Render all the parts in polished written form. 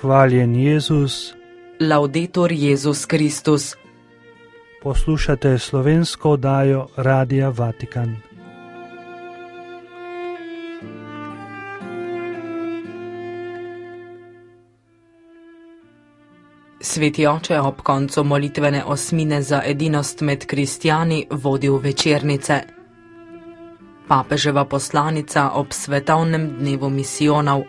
Hvaljen Jezus. Laudetur Jezus Kristus. Poslušate slovensko oddajo Radia Vatikan. Sveti oče ob koncu molitvene osmine za edinost med kristjani vodi v večernice. Papeževa poslanica ob svetovnem dnevu misijonov.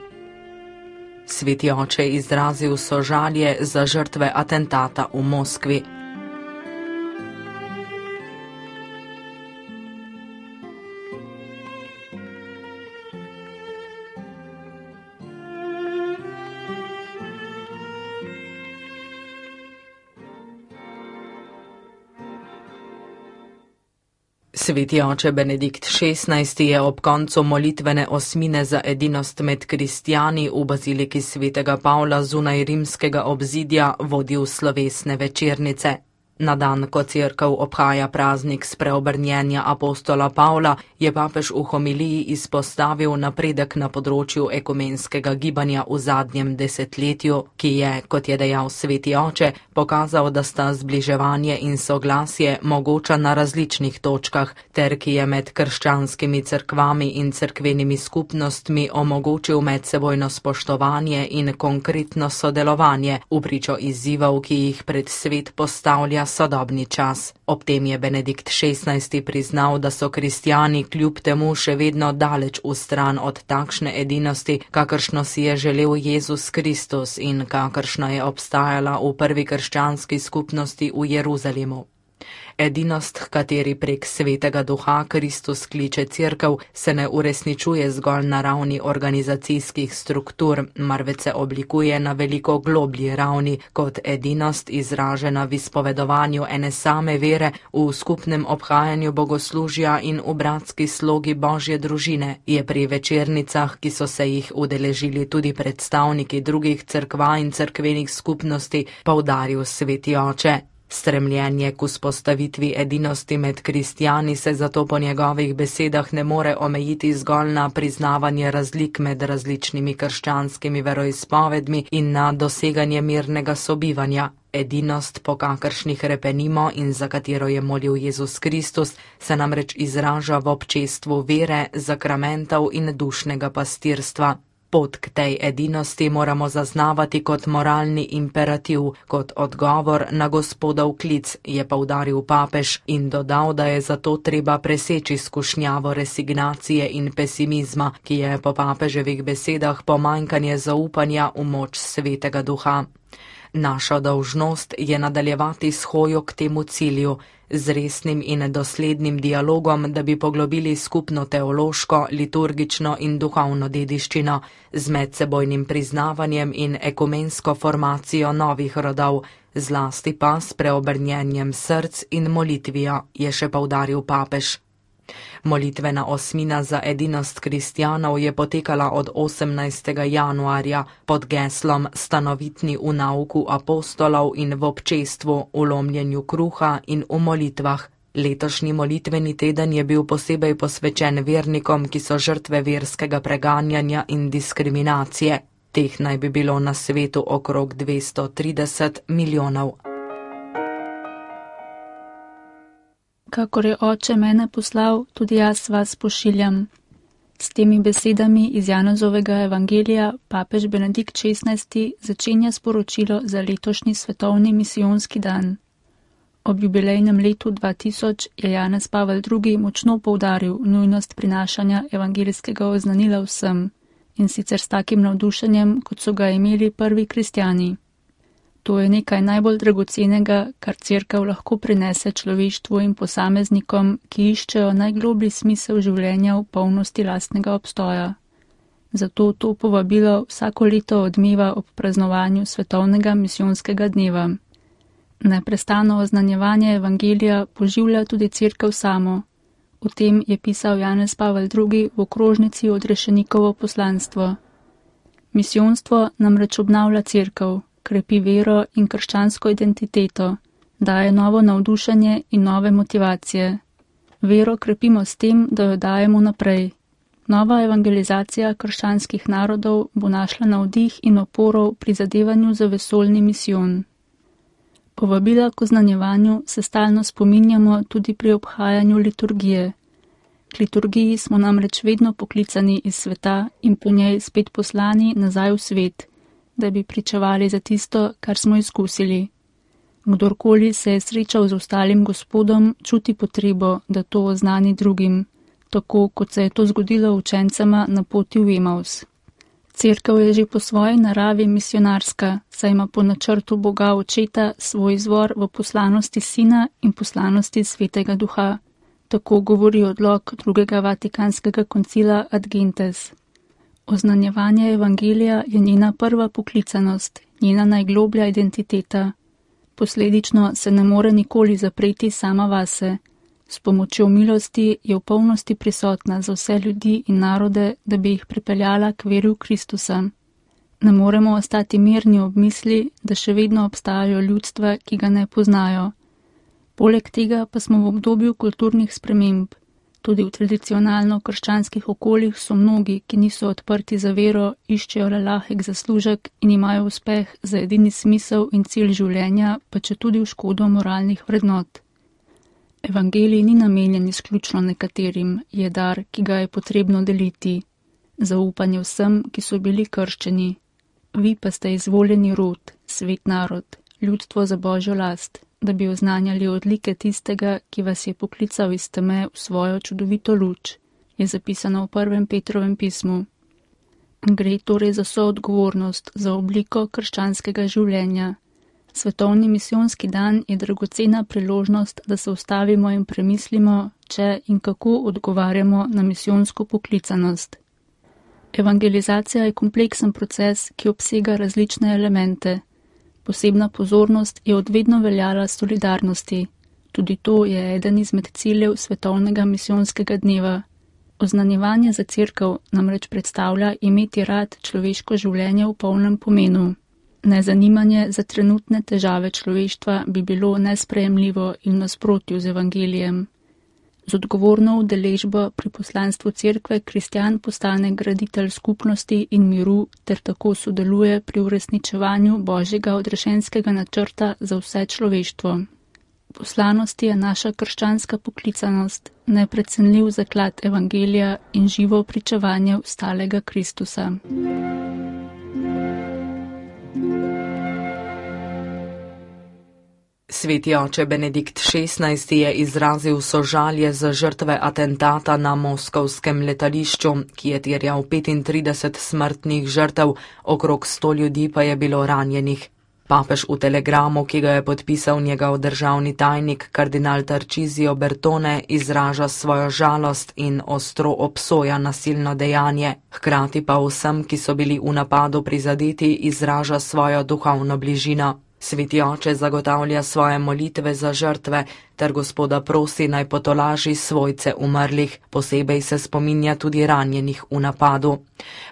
Sveti oče izrazil sožalje za žrtve atentata v Moskvi. Sveti oče Benedikt XVI je ob koncu molitvene osmine za edinost med kristjani v baziliki svetega Pavla zunaj rimskega obzidja vodil slovesne večernice. Na dan, ko cerkev obhaja praznik spreobrnjenja apostola Pavla, je papež v homiliji izpostavil napredek na področju ekumenskega gibanja v zadnjem desetletju, ki je, kot je dejal sveti oče, pokazal, da sta zbliževanje in soglasje mogoča na različnih točkah, ter ki je med krščanskimi cerkvami in cerkvenimi skupnostmi omogočil medsebojno spoštovanje in konkretno sodelovanje v pričo izzivov, ki jih pred svet postavlja sodobni čas. Ob tem je Benedikt XVI priznal, da so kristjani kljub temu še vedno daleč v stran od takšne edinosti, kakršno si je želel Jezus Kristus in kakršna je obstajala v prvi krščanski skupnosti v Jeruzalemu. Edinost, h kateri prek svetega duha Kristus kliče cerkev, se ne uresničuje zgolj na ravni organizacijskih struktur, marveč se oblikuje na veliko globlji ravni kot edinost izražena v izpovedovanju ene same vere, v skupnem obhajanju bogoslužja in v bratski slogi Božje družine, je pri večernicah, ki so se jih udeležili tudi predstavniki drugih cerkva in cerkvenih skupnosti, poudaril sveti oče. Stremljenje k vzpostavitvi edinosti med kristjani se zato po njegovih besedah ne more omejiti zgolj na priznavanje razlik med različnimi krščanskimi veroizpovedmi in na doseganje mirnega sobivanja. Edinost, po kakršnih repenimo in za katero je molil Jezus Kristus, se namreč izraža v občestvu vere, zakramentov in dušnega pastirstva. Pot k tej edinosti moramo zaznavati kot moralni imperativ, kot odgovor na Gospodov klic, je poudaril papež in dodal, da je zato treba preseči skušnjavo resignacije in pesimizma, ki je po papeževih besedah pomanjkanje zaupanja v moč svetega duha. Naša dolžnost je nadaljevati s hojo k temu cilju, z resnim in doslednim dialogom, da bi poglobili skupno teološko, liturgično in duhovno dediščino, z medsebojnim priznavanjem in ekumensko formacijo novih rodov, zlasti pa s preobrnjenjem src in molitvijo, je še poudaril papež. Molitvena osmina za edinost kristjanov je potekala od 18. januarja pod geslom Stanovitni v nauku apostolov in v občestvu, v lomljenju kruha in v molitvah. Letošnji molitveni teden je bil posebej posvečen vernikom, ki so žrtve verskega preganjanja in diskriminacije. Teh naj bi bilo na svetu okrog 230 milijonov. Kakor je oče mene poslal, tudi jaz vas pošiljam. S temi besedami iz Janezovega evangelija papež Benedikt XVI začenja sporočilo za letošnji svetovni misijonski dan. Ob jubilejnem letu 2000 je Janez Pavel II močno poudaril nujnost prinašanja evangelijskega oznanila vsem, in sicer s takim navdušenjem, kot so ga imeli prvi kristjani. To je nekaj najbolj dragocenega, kar cerkev lahko prinese človeštvu in posameznikom, ki iščejo najgloblji smisel življenja v polnosti lastnega obstoja. Zato to povabilo vsako leto odmeva ob praznovanju svetovnega misijonskega dneva. Neprestano oznanjevanje evangelija poživlja tudi cerkev samo. O tem je pisal Janez Pavel II v okrožnici Odrešenikovo poslanstvo. Misijonstvo namreč obnavlja cerkev, krepi vero in krščansko identiteto, daje novo navdušenje in nove motivacije. Vero krepimo s tem, da jo dajemo naprej. Nova evangelizacija krščanskih narodov bo našla navdih in oporo v prizadevanju za vesoljni misijon. Povabila k oznanjevanju se stalno spominjamo tudi pri obhajanju liturgije. K liturgiji smo namreč vedno poklicani iz sveta in po njej spet poslani nazaj v svet, da bi pričevali za tisto, kar smo izkusili. Kdorkoli se je srečal z ostalim Gospodom, čuti potrebo, da to oznani drugim, tako kot se je to zgodilo učencema na poti v Emaus. Cerkev je že po svoji naravi misionarska, saj ima po načrtu Boga Očeta svoj izvor v poslanosti Sina in poslanosti Svetega Duha. Tako govori odlok drugega Vatikanskega koncila Ad Gentes. Oznanjevanje evangelija je njena prva poklicanost, njena najgloblja identiteta. Posledično se ne more nikoli zapreti sama vase. S pomočjo milosti je v polnosti prisotna za vse ljudi in narode, da bi jih pripeljala k veri v Kristusa. Ne moremo ostati mirni ob misli, da še vedno obstajajo ljudstva, ki ga ne poznajo. Poleg tega pa smo v obdobju kulturnih sprememb. Tudi v tradicionalno krščanskih okoljih so mnogi, ki niso odprti za vero, iščejo le lahek zaslužek in imajo uspeh za edini smisel in cilj življenja, pa če tudi v škodo moralnih vrednot. Evangelij ni namenjen izključno nekaterim, je dar, ki ga je potrebno deliti. Zaupanje vsem, ki so bili krščeni. Vi pa ste izvoljeni rod, svet narod, ljudstvo za Božjo last, da bi oznanjali odlike tistega, ki vas je poklical iz teme v svojo čudovito luč, je zapisano v 1. Petrovem pismu. Gre torej za soodgovornost, za obliko krščanskega življenja. Svetovni misijonski dan je dragocena priložnost, da se ustavimo in premislimo, če in kako odgovarjamo na misijonsko poklicanost. Evangelizacija je kompleksen proces, ki obsega različne elemente. Posebna pozornost je od vedno veljala solidarnosti. Tudi to je eden izmed ciljev svetovnega misijonskega dneva. Oznanjevanje za cerkev namreč predstavlja imeti rad človeško življenje v polnem pomenu. Nezanimanje za trenutne težave človeštva bi bilo nesprejemljivo in v nasprotju z evangelijem. Z odgovorno udeležbo pri poslanstvu cerkve kristjan postane graditelj skupnosti in miru ter tako sodeluje pri uresničevanju Božjega odrešenskega načrta za vse človeštvo. Poslanost je naša krščanska poklicanost, neprecenljiv zaklad evangelija in živo pričevanje vstalega Kristusa. Sveti oče Benedikt XVI je izrazil sožalje za žrtve atentata na moskovskem letališču, ki je terjal 35 smrtnih žrtev, okrog 100 ljudi pa je bilo ranjenih. Papež v telegramu, ki ga je podpisal njegov državni tajnik kardinal Tarcisio Bertone, izraža svojo žalost in ostro obsoja nasilno dejanje, hkrati pa vsem, ki so bili v napadu prizadeti, izraža svojo duhovno bližino. Sveti oče zagotavlja svoje molitve za žrtve ter Gospoda prosi naj potolaži svojce umrlih, posebej se spominja tudi ranjenih v napadu.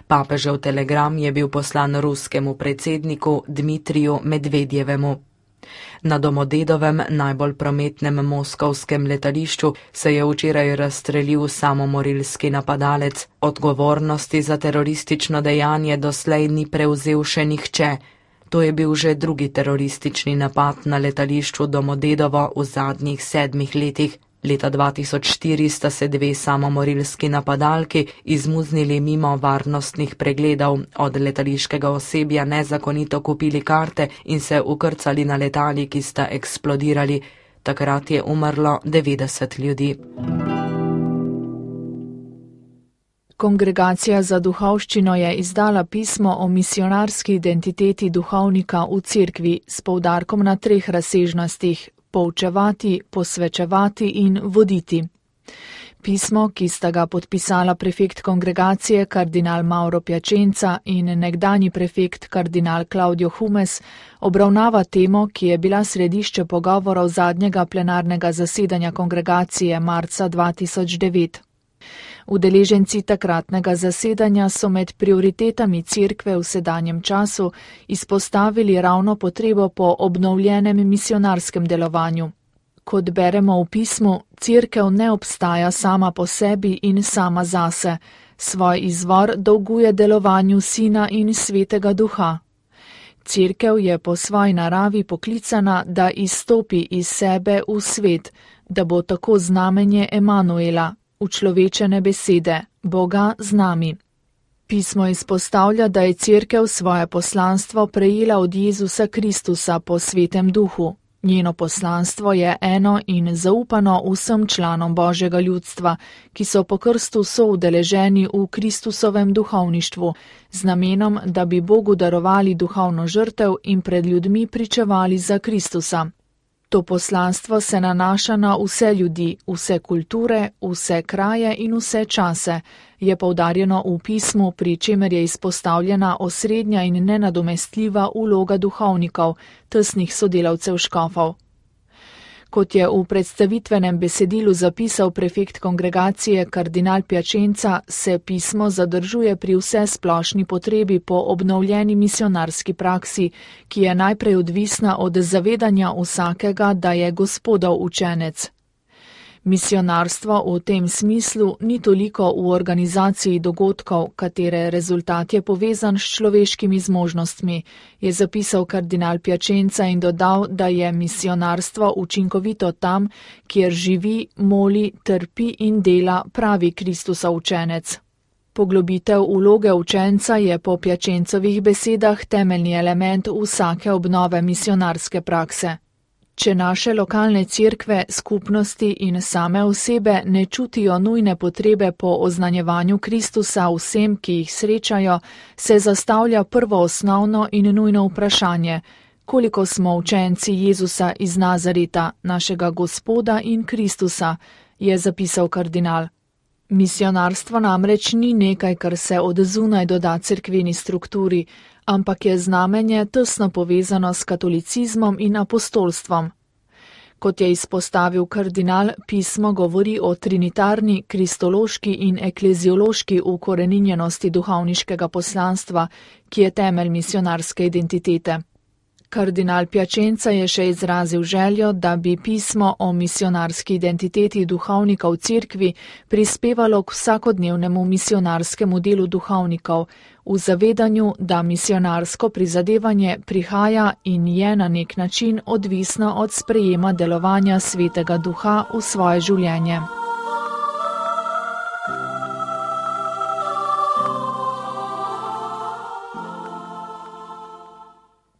Papežev telegram je bil poslan ruskemu predsedniku Dmitriju Medvedjevemu. Na Domodedovem, najbolj prometnem moskovskem letališču, se je včeraj razstrelil samomorilski napadalec. Odgovornosti za teroristično dejanje doslej ni prevzel še nihče. To je bil že drugi teroristični napad na letališču Domodedovo v zadnjih 7 letih. Leta 2004 sta se 2 samomorilski napadalki izmuznili mimo varnostnih pregledov, od letališkega osebja nezakonito kupili karte in se ukrcali na letali, ki sta eksplodirali. Takrat je umrlo 90 ljudi. Kongregacija za duhovščino je izdala pismo o misionarski identiteti duhovnika v cerkvi s poudarkom na 3 razsežnostih: poučevati, posvečevati in voditi. Pismo, ki sta ga podpisala prefekt kongregacije kardinal Mauro Piacenza in nekdanji prefekt kardinal Claudio Humes, obravnava temo, ki je bila središče pogovorov zadnjega plenarnega zasedanja kongregacije marca 2009. Udeleženci takratnega zasedanja so med prioritetami cerkve v sedanjem času izpostavili ravno potrebo po obnovljenem misionarskem delovanju. Kot beremo v pismu, cerkev ne obstaja sama po sebi in sama zase, Svoj izvor dolguje delovanju Sina in Svetega Duha. Cerkev je po svoji naravi poklicana, da izstopi iz sebe v svet, da bo tako znamenje Emanuela, učlovečene besede, Boga z nami. Pismo izpostavlja, da je Cerkev svoje poslanstvo prejela od Jezusa Kristusa po Svetem Duhu. Njeno poslanstvo je eno in zaupano vsem članom Božjega ljudstva, ki so po krstu soudeleženi v Kristusovem duhovništvu, z namenom, da bi Bogu darovali duhovno žrtev in pred ljudmi pričevali za Kristusa. To poslanstvo se nanaša na vse ljudi, vse kulture, vse kraje in vse čase, je poudarjeno v pismu, pri čemer je izpostavljena osrednja in nenadomestljiva vloga duhovnikov, tesnih sodelavcev škofov. Kot je v predstavitvenem besedilu zapisal prefekt kongregacije kardinal Piacenza, se pismo zadržuje pri vsesplošni potrebi po obnovljeni misionarski praksi, ki je najprej odvisna od zavedanja vsakega, da je Gospodov učenec. Misionarstvo v tem smislu ni toliko v organizaciji dogodkov, katere rezultat je povezan s človeškimi zmožnostmi, je zapisal kardinal Piacenza in dodal, da je misionarstvo učinkovito tam, kjer živi, moli, trpi in dela pravi Kristusov učenec. Poglobitev vloge učenca je po Piacencovih besedah temeljni element vsake obnove misionarske prakse. Če naše lokalne cerkve, skupnosti in same osebe ne čutijo nujne potrebe po oznanjevanju Kristusa vsem, ki jih srečajo, se zastavlja prvo osnovno in nujno vprašanje, koliko smo učenci Jezusa iz Nazareta, našega Gospoda in Kristusa, je zapisal kardinal. Misionarstvo namreč ni nekaj, kar se od zunaj doda cerkveni strukturi, ampak je znamenje tesno povezano s katolicizmom in apostolstvom. Kot je izpostavil kardinal, pismo govori o trinitarni, kristološki in ekleziološki ukoreninjenosti duhovniškega poslanstva, ki je temelj misionarske identitete. Kardinal Piacenza je še izrazil željo, da bi pismo o misionarski identiteti duhovnikov cerkvi prispevalo k vsakodnevnemu misionarskemu delu duhovnikov, v zavedanju, da misionarsko prizadevanje prihaja in je na nek način odvisno od sprejema delovanja Svetega Duha v svoje življenje.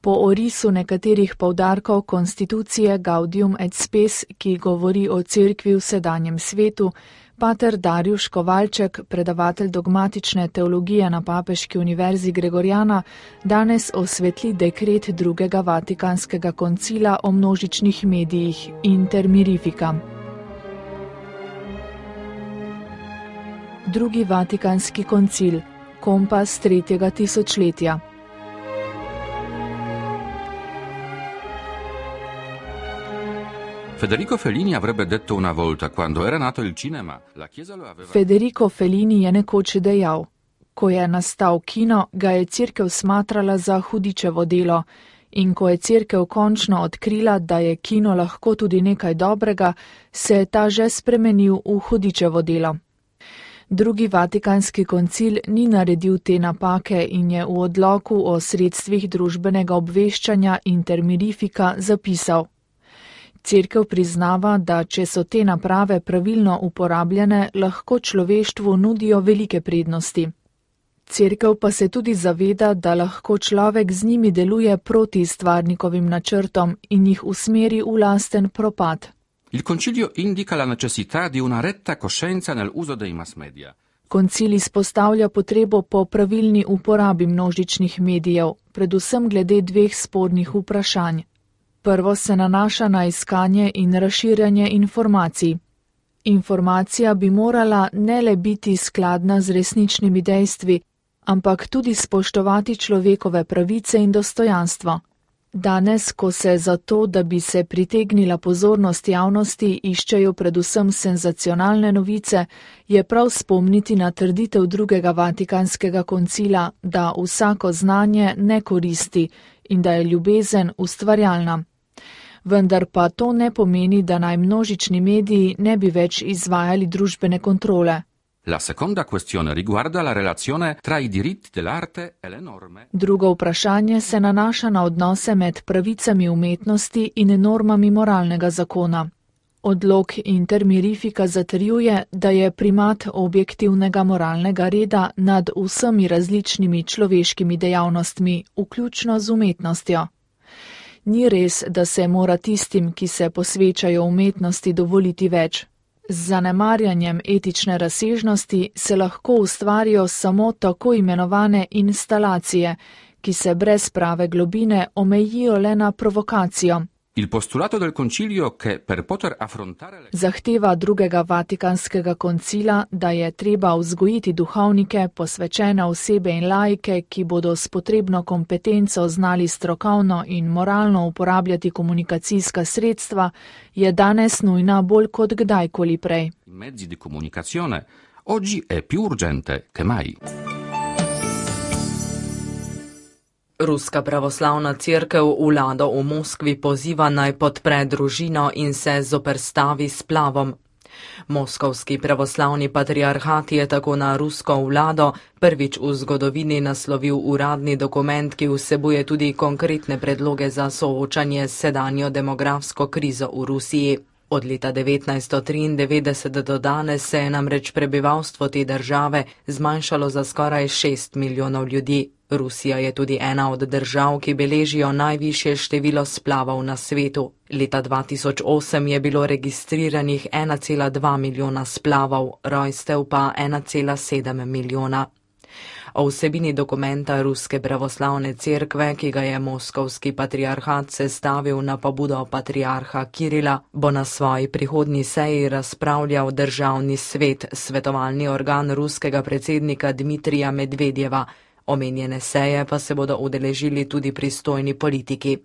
Po orisu nekaterih poudarkov konstitucije Gaudium et Spes, ki govori o cerkvi v sedanjem svetu, pater Darjuš Kovalček, predavatelj dogmatične teologije na Papeški univerzi Gregoriana, danes osvetli dekret drugega Vatikanskega koncila o množičnih medijih Inter Mirifica. Drugi Vatikanski koncil, kompas 3. tisočletja. Federico Fellini avrebbe detto una volta, quando era nato il cinema, la Chiesa lo aveva... Federico Fellini je nekoč dejal, ko je nastal kino, ga je cerkev smatrala za hudičevo delo, in ko je cerkev končno odkrila, da je kino lahko tudi nekaj dobrega, se je ta že spremenil v hudičevo delo. Drugi Vatikanski koncil ni naredil te napake in je v odloku o sredstvih družbenega obveščanja Inter Mirifica zapisal: Cerkev priznava, da če so te naprave pravilno uporabljene, lahko človeštvu nudijo velike prednosti. Cerkev pa se tudi zaveda, da lahko človek z njimi deluje proti stvarnikovim načrtom in jih usmeri v lasten propad. Il concilio indica la necessità di una retta coscienza nell'uso dei mass media. Koncil izpostavlja potrebo po pravilni uporabi množičnih medijev, predvsem glede dveh spornih vprašanj. Prvo se nanaša na iskanje in razširjanje informacij. Informacija bi morala ne le biti skladna z resničnimi dejstvi, ampak tudi spoštovati človekove pravice in dostojanstvo. Danes, ko se za to, da bi se pritegnila pozornost javnosti, iščejo predvsem senzacionalne novice, je prav spomniti na trditev drugega Vatikanskega koncila, da vsako znanje ne koristi in da je ljubezen ustvarjalna. Vendar pa to ne pomeni, da naj množični mediji ne bi več izvajali družbene kontrole. La seconda questione riguarda la relazione tra i diritti dell'arte e le norme. Drugo vprašanje se nanaša na odnose med pravicami umetnosti in normami moralnega zakona. Odlok Intermirifika zatrjuje, da je primat objektivnega moralnega reda nad vsemi različnimi človeškimi dejavnostmi, vključno z umetnostjo. Ni res, da se mora tistim, ki se posvečajo umetnosti, dovoliti več. Z zanemarjanjem etične razsežnosti se lahko ustvarijo samo tako imenovane instalacije, ki se brez prave globine omejijo le na provokacijo. Il postulato del concilio che per poter affrontare Zahteva drugega Vatikanskega koncila, da je treba vzgojiti duhovnike, posvečene osebe in laike, ki bodo s potrebno kompetenco znali strokovno in moralno uporabljati komunikacijska sredstva, je danes nujna bolj kot kdajkoli prej. mezzi di comunicazione oggi è più urgente che mai. Ruska pravoslavna cerkev vlado v Moskvi poziva naj podpre družino in se zoperstavi splavom. Moskovski pravoslavni patriarhat je tako na rusko vlado prvič v zgodovini naslovil uradni dokument, ki vsebuje tudi konkretne predloge za soočanje s sedanjo demografsko krizo v Rusiji. Od leta 1993 do danes se je namreč prebivalstvo te države zmanjšalo za skoraj 6 milijonov ljudi. Rusija je tudi ena od držav, ki beležijo najvišje število splavov na svetu. Leta 2008 je bilo registriranih 1,2 milijona splavov, rojstev pa 1,7 milijona. O vsebini dokumenta Ruske pravoslavne cerkve, ki ga je Moskovski patriarhat sestavil na pobudo patriarha Kirila, bo na svoji prihodnji seji razpravljal državni svet, svetovalni organ ruskega predsednika Dmitrija Medvedjeva. Omenjene seje pa se bodo udeležili tudi pristojni politiki.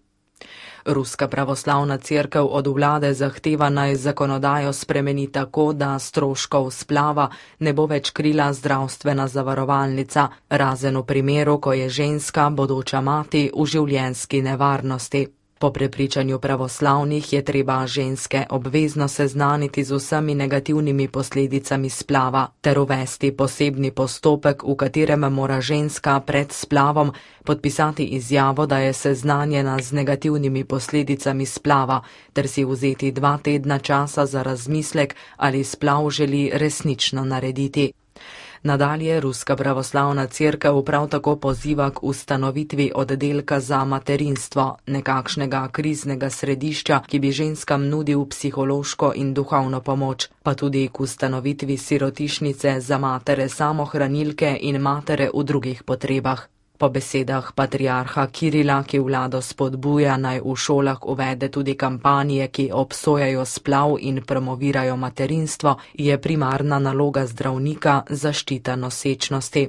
Ruska pravoslavna cerkev od vlade zahteva naj zakonodajo spremeni tako, da stroškov splava ne bo več krila zdravstvena zavarovalnica, razen v primeru, ko je ženska, bodoča mati, v življenjski nevarnosti. Po prepričanju pravoslavnih je treba ženske obvezno seznaniti z vsemi negativnimi posledicami splava ter uvesti posebni postopek, v katerem mora ženska pred splavom podpisati izjavo, da je seznanjena z negativnimi posledicami splava ter si vzeti 2 tedna časa za razmislek, ali splav želi resnično narediti. Nadalje Ruska pravoslavna cerkev prav tako poziva k ustanovitvi oddelka za materinstvo, nekakšnega kriznega središča, ki bi ženskam nudil psihološko in duhovno pomoč, pa tudi k ustanovitvi sirotišnice za matere samohranilke in matere v drugih potrebah. Po besedah patriarha Kirila, ki vlado spodbuja, naj v šolah uvede tudi kampanje, ki obsojajo splav in promovirajo materinstvo, je primarna naloga zdravnika zaščita nosečnosti.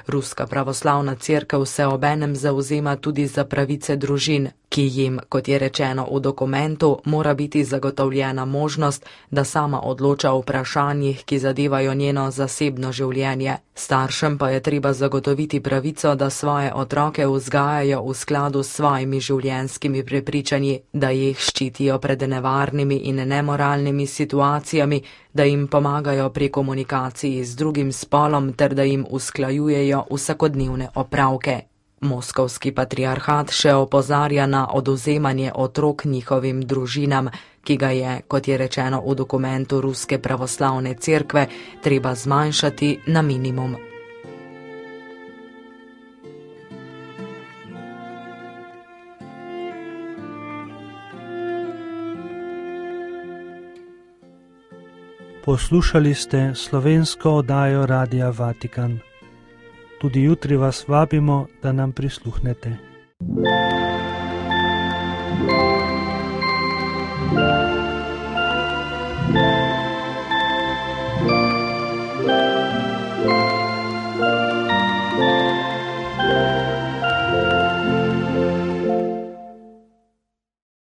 Ruska pravoslavna cerkev se obenem zavzema tudi za pravice družin, ki jim, kot je rečeno v dokumentu, mora biti zagotovljena možnost, da sama odloča o vprašanjih, ki zadevajo njeno zasebno življenje. Staršem pa je treba zagotoviti pravico, da svoje otroke vzgajajo v skladu s svojimi življenjskimi prepričanji, da jih ščitijo pred nevarnimi in nemoralnimi situacijami, da jim pomagajo pri komunikaciji z drugim spolom ter da jim usklajujejo vsakodnevne opravke. Moskovski patriarhat še opozarja na odvzemanje otrok njihovim družinam, ki ga je, kot je rečeno v dokumentu Ruske pravoslavne cerkve, treba zmanjšati na minimum. Poslušali ste slovensko oddajo Radia Vatikan. Tudi jutri vas vabimo, da nam prisluhnete.